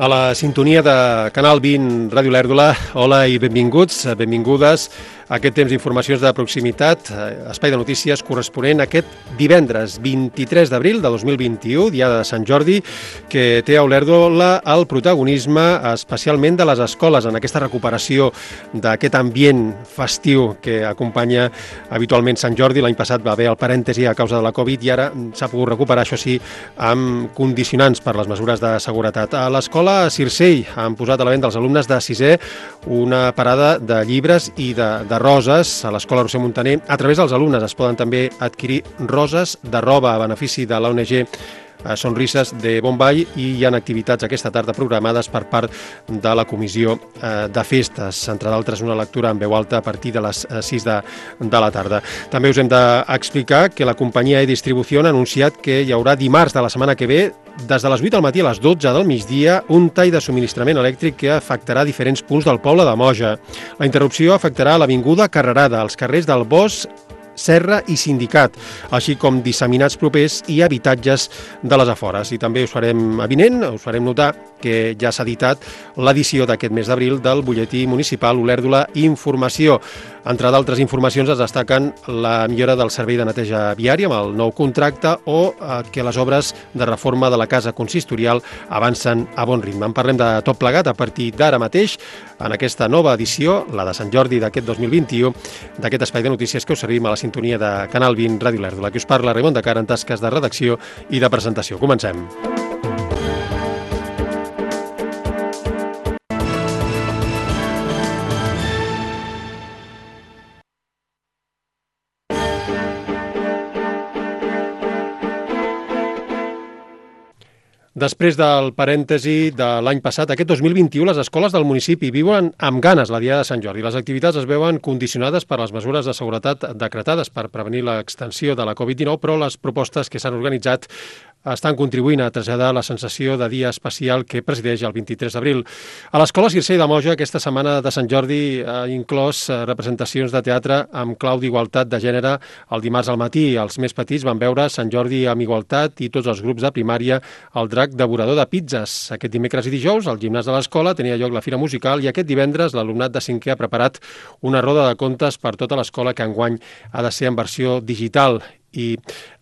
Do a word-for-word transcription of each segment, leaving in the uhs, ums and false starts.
A la sintonia de Canal vint Ràdio Lèrdula, hola i benvinguts, benvingudes a aquest temps d'informacions de proximitat, espai de notícies corresponent a aquest divendres vint-i-tres d'abril de dos mil vint-i-u, dia de Sant Jordi, que té a Olèrdola el protagonisme especialment de les escoles en aquesta recuperació d'aquest ambient festiu que acompanya habitualment Sant Jordi. L'any passat va haver el parèntesi a causa de la Covid i ara s'ha pogut recuperar, això sí, amb condicionants per les mesures de seguretat. A l'escola Circell han posat a la venda als alumnes de sisè una parada de llibres i de, de roses a l'escola Roser Montaner. A través dels alumnes es poden també adquirir roses de roba a benefici de l'O N G Sonrises de Bonvall i hi ha activitats aquesta tarda programades per part de la comissió de festes, entre d'altres una lectura en veu alta a partir de les sis de, de la tarda. També us hem d'explicar que la companyia E-Distribució ha anunciat que hi haurà dimarts de la setmana que ve, des de les vuit del matí a les dotze del migdia, un tall de subministrament elèctric que afectarà diferents punts del poble de Moja. La interrupció afectarà l'avinguda Carrerada, els carrers del Bosc, Serra i Sindicat, així com disseminats propers i habitatges de les afores. I també us farem avinent, us farem notar que ja s'ha editat l'edició d'aquest mes d'abril del butlletí municipal Olèrdola Informació. Entre d'altres informacions es destaquen la millora del servei de neteja viària amb el nou contracte o que les obres de reforma de la casa consistorial avancen a bon ritme. En parlem de tot plegat a partir d'ara mateix en aquesta nova edició, la de Sant Jordi d'aquest dos mil vint-i-u, d'aquest espai de notícies que us servim a la sintonia de Canal vint Ràdio Lèrdula. Que us parla Raimon de Cara en tasques de redacció i de presentació. Comencem. Després del parèntesi de l'any passat, aquest dos mil vint-i-u les escoles del municipi viuen amb ganes la Diada de Sant Jordi. Les activitats es veuen condicionades per les mesures de seguretat decretades per prevenir l'extensió de la Covid dinou, però les propostes que s'han organitzat estan contribuint a traslladar la sensació de dia especial que presideix el vint-i-tres d'abril. A l'escola Circell de Moja aquesta setmana de Sant Jordi ha inclòs representacions de teatre amb clau d'igualtat de gènere el dimarts al matí. Els més petits van veure Sant Jordi amb igualtat i tots els grups de primària el drac devorador de pizzas. Aquest dimecres i dijous al gimnàs de l'escola tenia lloc la fira musical i aquest divendres l'alumnat de cinquè ha preparat una roda de contes per tota l'escola que enguany ha de ser en versió digital i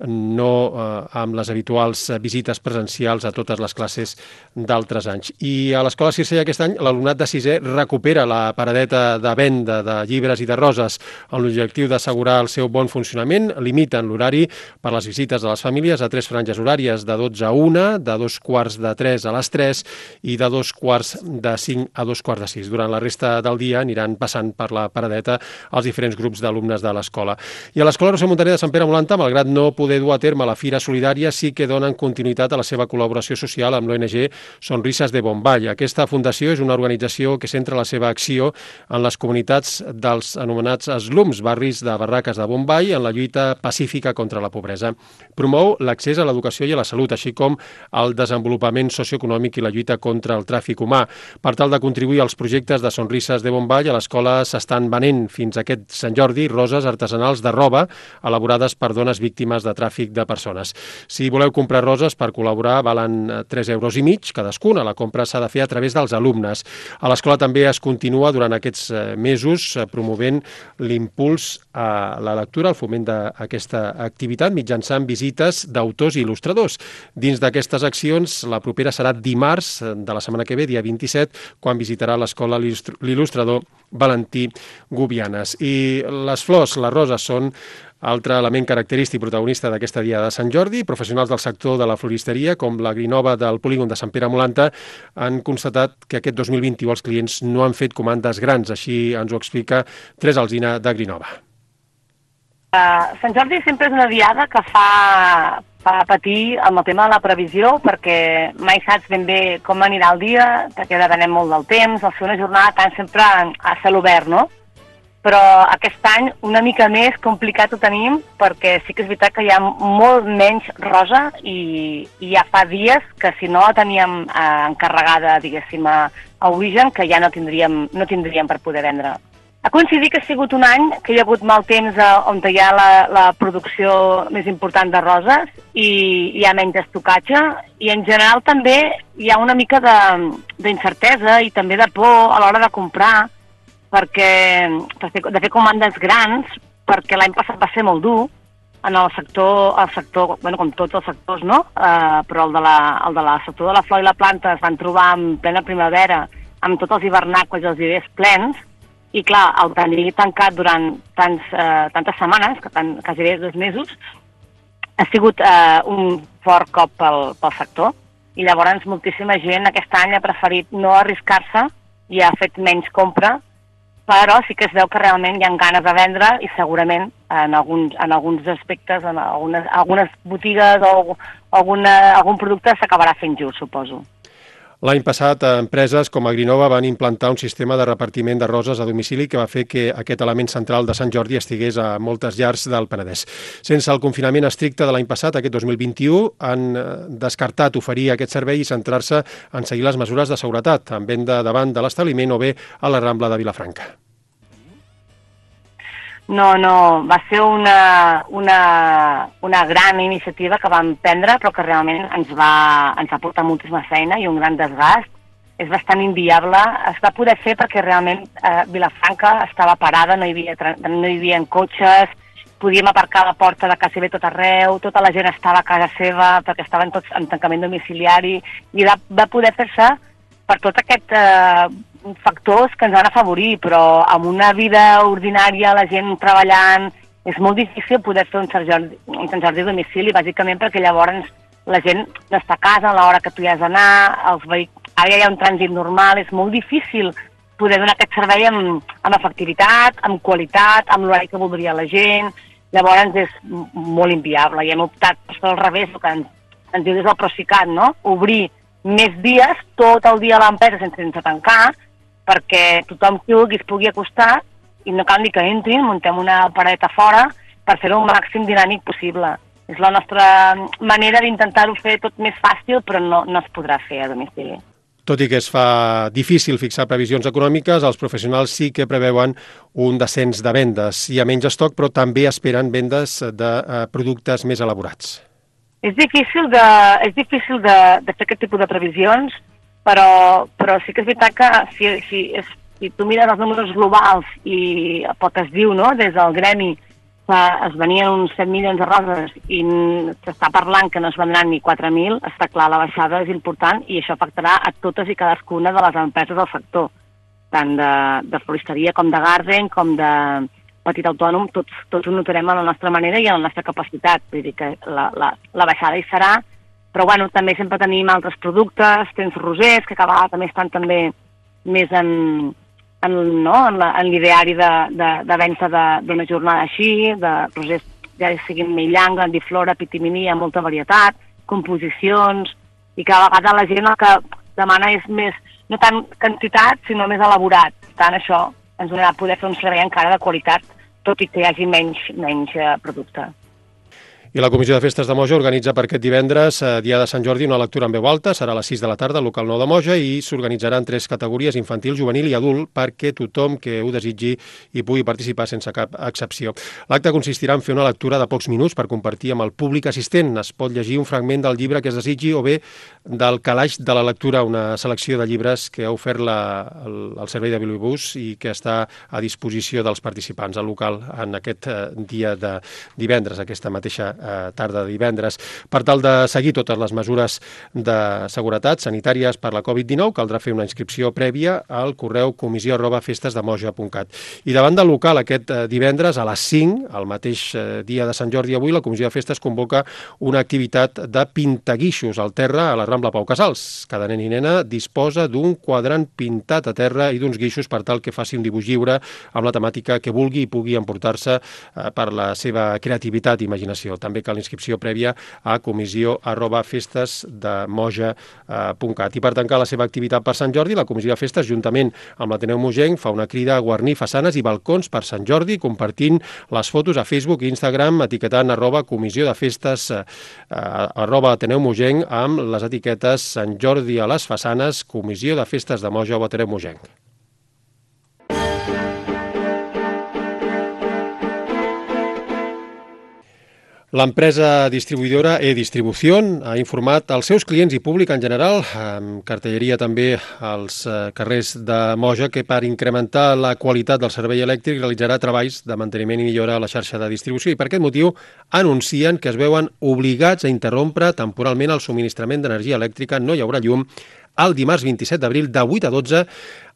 no eh, amb les habituals visites presencials a totes les classes d'altres anys. I a l'escola Circell aquest any l'alumnat de sisè recupera la paradeta de venda de llibres i de roses amb l'objectiu d'assegurar el seu bon funcionament. Limiten l'horari per les visites de les famílies a tres franges horàries, de dotze a una, de dos quarts de tres a les tres i de dos quarts de cinc a dos quarts de sis. Durant la resta del dia aniran passant per la paradeta els diferents grups d'alumnes de l'escola. I a l'escola Roser Montaner de Sant Pere Molanta, malgrat no poder dur a terme la Fira Solidària, sí que donen continuïtat a la seva col·laboració social amb l'O N G Sonrises de Bonvall. Aquesta fundació és una organització que centra la seva acció en les comunitats dels anomenats slums, barris de barraques de Bonvall, en la lluita pacífica contra la pobresa. Promou l'accés a l'educació i a la salut, així com el desenvolupament socioeconòmic i la lluita contra el tràfic humà. Per tal de contribuir als projectes de Sonrises de Bonvall, a l'escola s'estan venent fins a aquest Sant Jordi roses artesanals de roba elaborades per dones víctimes de tràfic de persones. Si voleu comprar roses per col·laborar, valen tres euros i mig cadascuna. La compra s'ha de fer a través dels alumnes. A l'escola també es continua durant aquests mesos promovent l'impuls a la lectura, el foment d'aquesta activitat mitjançant visites d'autors i il·lustradors. Dins d'aquestes accions, la propera serà dimarts de la setmana que ve, dia vint-i-set, quan visitarà l'escola l'il·lustrador Valentí Gubianes. I les flors, les roses, són altre element característic protagonista d'aquesta Diada de Sant Jordi. Professionals del sector de la floristeria, com l'Agrinova del polígon de Sant Pere Molanta, han constatat que aquest dos mil vint-i-u els clients no han fet comandes grans. Així ens ho explica Teresa Alsina d'Agrinova. Uh, Sant Jordi sempre és una diada que fa, fa patir amb el tema de la previsió, perquè mai saps ben bé com anirà el dia, perquè depenem molt del temps, al ser una jornada tan sempre a cel obert, no? Però aquest any una mica més complicat ho tenim, perquè sí que és veritat que hi ha molt menys rosa i, i ja fa dies que si no la teníem eh, encarregada, diguéssim, a, a origen, que ja no tindríem, no tindríem per poder vendre. Ha coincidit que ha sigut un any que hi ha hagut mal temps on hi ha la, la producció més important de roses i hi ha menys estocatge i en general també hi ha una mica d'incertesa i també de por a l'hora de comprar perquè de fer, de fer comandes grans perquè l'any passat va ser molt dur en el sector, el sector bueno, com tots els sectors, no? Uh, però el de, la, el de la sector de la flor i la planta es van trobar en plena primavera amb tots els hivernacles i els vivers plens. I clar, el tenir tancat durant tants, eh, tantes setmanes, que tant, quasi bé dos mesos, ha sigut eh, un fort cop pel, pel sector. I llavors moltíssima gent aquest any ha preferit no arriscar-se i ha fet menys compra, però sí que es veu que realment hi ha ganes de vendre i segurament en alguns, en alguns aspectes, en algunes, algunes botigues o alguna, algun producte s'acabarà fent just, suposo. L'any passat, empreses com Agrinova van implantar un sistema de repartiment de roses a domicili que va fer que aquest element central de Sant Jordi estigués a moltes llars del Penedès. Sense el confinament estricte de l'any passat, aquest dos mil vint-i-u, han descartat oferir aquest servei i centrar-se en seguir les mesures de seguretat, en venda davant de l'establiment o bé a la Rambla de Vilafranca. No, no, va ser una, una, una gran iniciativa que vam prendre, però que realment ens va, ens va portar moltíssima feina i un gran desgast. És bastant inviable. Es va poder fer perquè realment eh, Vilafranca estava parada, no hi havia, no hi havia cotxes, podíem aparcar a la porta de quasi bé tot arreu, tota la gent estava a casa seva perquè estaven tots en tancament domiciliari i va, va poder fer-se per tot aquest... Eh, factors que ens van afavorir, però amb una vida ordinària, la gent treballant, és molt difícil poder fer un Sant Jordi, un Sant Jordi a domicili, bàsicament perquè llavors la gent no està a casa a l'hora que tu hi has d'anar, els vehic... ara ja hi ha un trànsit normal, és molt difícil poder donar aquest servei amb, amb efectivitat, amb qualitat, amb l'horari que voldria la gent, llavors és molt inviable i hem optat per fer al revés, el que ens, ens diu des del Procicat, no? Obrir més dies, tot el dia a l'empresa sense, sense tancar, perquè tothom qui vulgui es pugui acostar i no cal ni que entrin, muntem una paret a fora per fer-ho el màxim dinàmic possible. És la nostra manera d'intentar-ho fer tot més fàcil, però no, no es podrà fer a domicili. Tot i que es fa difícil fixar previsions econòmiques, els professionals sí que preveuen un descens de vendes. Hi ha menys estoc, però també esperen vendes de eh, productes més elaborats. És difícil de, és difícil de, de fer aquest tipus de previsions, però, però sí que és veritat que si, si, és, si tu mires els números globals i pel que es diu, no?, des del gremi, que es venien uns set milions de roses i s'està parlant que no es vendran ni quatre mil, està clar, la baixada és important i això afectarà a totes i cadascuna de les empreses del sector, tant de, de floristeria com de garden, com de petit autònom, tots, tots ho notarem a la nostra manera i a la nostra capacitat, vull dir que la, la, la baixada hi serà, però bueno, també sempre tenim altres productes, tens rosers, que cada vegada també estan també més en, en, no? en, la, en l'ideari de, de, de venda d'una jornada així, de rosers ja siguin Meillanga, Grandiflora, Pitimini, hi ha molta varietat, composicions, i cada vegada la gent el que demana és més, no tant quantitat, sinó més elaborat. Per tant, això ens donarà poder fer un servei encara de qualitat, tot i que hi hagi menys, menys eh, producte. I la Comissió de Festes de Moja organitza per aquest divendres, eh, dia de Sant Jordi, una lectura en veu alta, serà a les sis de la tarda al local nou de Moja i s'organitzaran tres categories, infantil, juvenil i adult, perquè tothom que ho desitgi hi pugui participar sense cap excepció. L'acte consistirà en fer una lectura de pocs minuts per compartir amb el públic assistent. Es pot llegir un fragment del llibre que es desitgi o bé del calaix de la lectura, una selecció de llibres que ha ofert la, el, el servei de Bibliobús i que està a disposició dels participants al local en aquest eh, dia de divendres, aquesta mateixa tarda de divendres. Per tal de seguir totes les mesures de seguretat sanitàries per la covid dinou, caldrà fer una inscripció prèvia al correu comissió arroba festesdemoja punt cat. I davant del local aquest divendres a les cinc, el mateix dia de Sant Jordi avui, la Comissió de Festes convoca una activitat de pintaguixos al terra a la Rambla Pau Casals. Cada nen i nena disposa d'un quadrant pintat a terra i d'uns guixos per tal que faci un dibuix lliure amb la temàtica que vulgui i pugui emportar-se per la seva creativitat i imaginació. També cal inscripció prèvia a comissió arroba festesdemoja punt cat. I per tancar la seva activitat per Sant Jordi, la Comissió de Festes, juntament amb l'Ateneu Mogenc, fa una crida a guarnir façanes i balcons per Sant Jordi, compartint les fotos a Facebook i Instagram, etiquetant arroba comissió de festes eh, arroba Ateneu Mogenc amb les etiquetes Sant Jordi a les façanes, Comissió de Festes de Moja o Ateneu Mogenc. L'empresa distribuïdora E-Distribución ha informat als seus clients i públic en general, amb cartelleria també als carrers de Moja, que per incrementar la qualitat del servei elèctric realitzarà treballs de manteniment i millora a la xarxa de distribució i per aquest motiu anuncien que es veuen obligats a interrompre temporalment el subministrament d'energia elèctrica, no hi haurà llum, el dimarts vint-i-set d'abril de vuit a dotze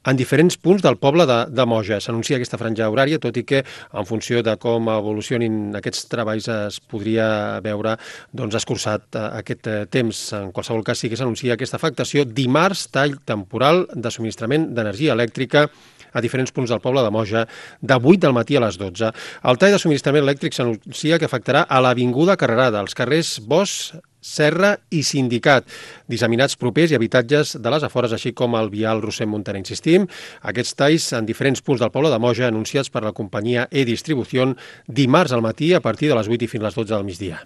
en diferents punts del poble de, de Moja. S'anuncia aquesta franja horària, tot i que en funció de com evolucionin aquests treballs es podria veure doncs, escurçat aquest temps. En qualsevol cas sí que s'anuncia aquesta afectació. Dimarts, tall temporal de subministrament d'energia elèctrica a diferents punts del poble de Moja, de vuit del matí a les dotze. El tall de subministrament elèctric s'anuncia que afectarà a l'Avinguda Carrerada, els carrers Bosch, Serra i Sindicat, disseminats propers i habitatges de les afores, així com el vial Rossend Montaner. Insistim, aquests talls en diferents punts del poble de Moja anunciats per la companyia E-Distribución dimarts al matí a partir de les vuit i fins a les dotze del migdia.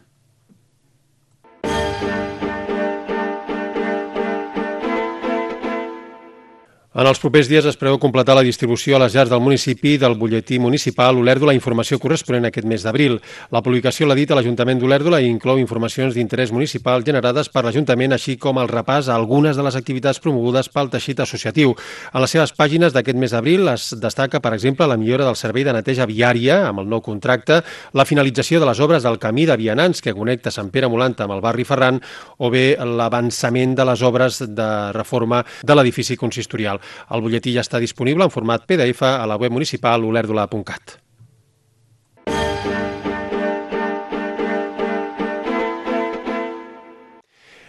En els propers dies es preveu completar la distribució a les llars del municipi del butlletí municipal Olèrdola, informació corresponent a aquest mes d'abril. La publicació l'ha dit a l'Ajuntament d'Olèrdola i inclou informacions d'interès municipal generades per l'Ajuntament, així com el repàs a algunes de les activitats promogudes pel teixit associatiu. En les seves pàgines d'aquest mes d'abril es destaca, per exemple, la millora del servei de neteja viària amb el nou contracte, la finalització de les obres del camí de vianants que connecta Sant Pere Molanta amb el barri Ferran o bé l'avançament de les obres de reforma de l'edifici consistorial. El butlletí ja està disponible en format P D F a la web municipal olèrdola punt cat.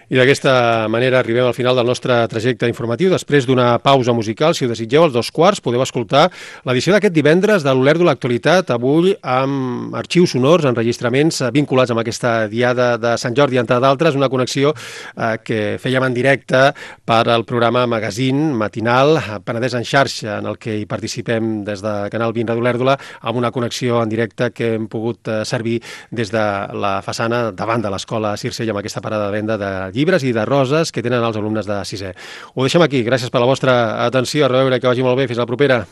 I d'aquesta manera arribem al final del nostre trajecte informatiu. Després d'una pausa musical, si ho desitgeu, als dos quarts podeu escoltar l'edició d'aquest divendres de l'Olèrdola Actualitat, avui amb arxius sonors, enregistraments vinculats amb aquesta diada de Sant Jordi, entre d'altres, una connexió eh, que fèiem en directe per al programa Magazine matinal Penedès en xarxa, en el que hi participem des de Canal vint Ràdio Olèrdola, amb una connexió en directe que hem pogut servir des de la façana davant de l'escola Circell amb aquesta parada de venda de llibres i de roses que tenen els alumnes de sisè. Ho deixem aquí. Gràcies per la vostra atenció. A reveure, que vagi molt bé. Fins la propera.